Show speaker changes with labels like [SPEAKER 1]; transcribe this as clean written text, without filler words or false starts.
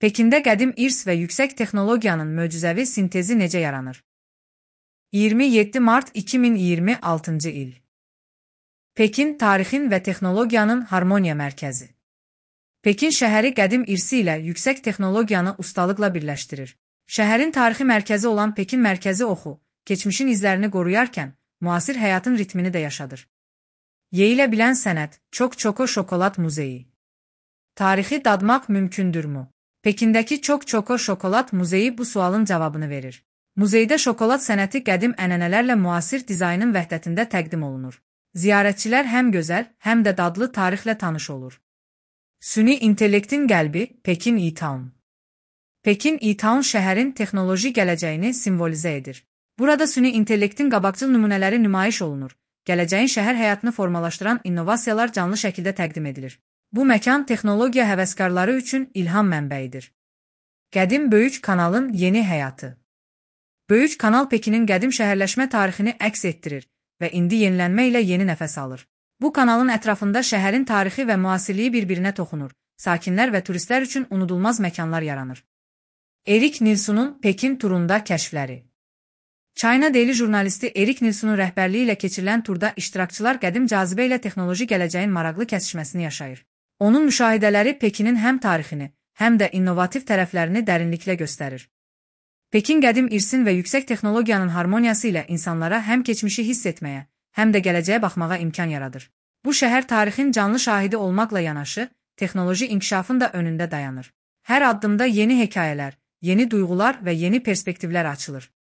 [SPEAKER 1] Pekində qədim irs və yüksək texnologiyanın möcüzəvi sintezi necə yaranır? 27 mart 2026-cı il. Pekin tarixin və texnologiyanın harmoniya mərkəzi. Pekin şəhəri qədim irsi ilə yüksək texnologiyanı ustalıqla birləşdirir. Şəhərin tarixi mərkəzi olan Pekin mərkəzi oxu, keçmişin izlərini qoruyarkən, müasir həyatın ritmini də yaşadır. Yeyilə bilən sənət, Çok-Çoko şokolad muzeyi. Tarixi dadmaq mümkündürmü? Pekindəki Çok-Çoko şokolad muzeyi bu sualın cavabını verir. Muzeydə şokolad sənəti qədim ənənələrlə müasir dizaynın vəhdətində təqdim olunur. Ziyarətçilər həm gözəl, həm də dadlı tarixlə tanış olur. Süni intellektin qəlbi Pekin E-Town. Pekin E-Town şəhərin texnoloji gələcəyini simvolizə edir. Burada süni intellektin qabaqcıl nümunələri nümayiş olunur. Gələcəyin şəhər həyatını formalaşdıran innovasiyalar canlı şəkildə təqdim edilir. Bu məkan texnologiya həvəskarları üçün ilham mənbəyidir. Qədim Böyük Kanalın yeni həyatı. Böyük Kanal Pekinin qədim şəhərləşmə tarixini əks etdirir və indi yenilənmə ilə yeni nəfəs alır. Bu kanalın ətrafında şəhərin tarixi və müasirliyi bir-birinə toxunur. Sakinlər və turistlər üçün unudulmaz məkanlar yaranır. Erik Nilssonun Pekin turunda kəşfləri. China Daily jurnalisti Erik Nilssonun rəhbərliyi ilə keçirilən turda iştirakçılar qədim cazibə ilə texnoloji gələcəyin maraqlı kəsişməsini yaşayır. Onun müşahidələri Pekinin həm tarixini, həm də innovativ tərəflərini dərinliklə göstərir. Pekin qədim irsin və yüksək texnologiyanın harmoniyası ilə insanlara həm keçmişi hiss etməyə, həm də gələcəyə baxmağa imkan yaradır. Bu şəhər tarixin canlı şahidi olmaqla yanaşı, texnoloji inkişafın da önündə dayanır. Hər addımda yeni hekayələr, yeni duyğular və yeni perspektivlər açılır.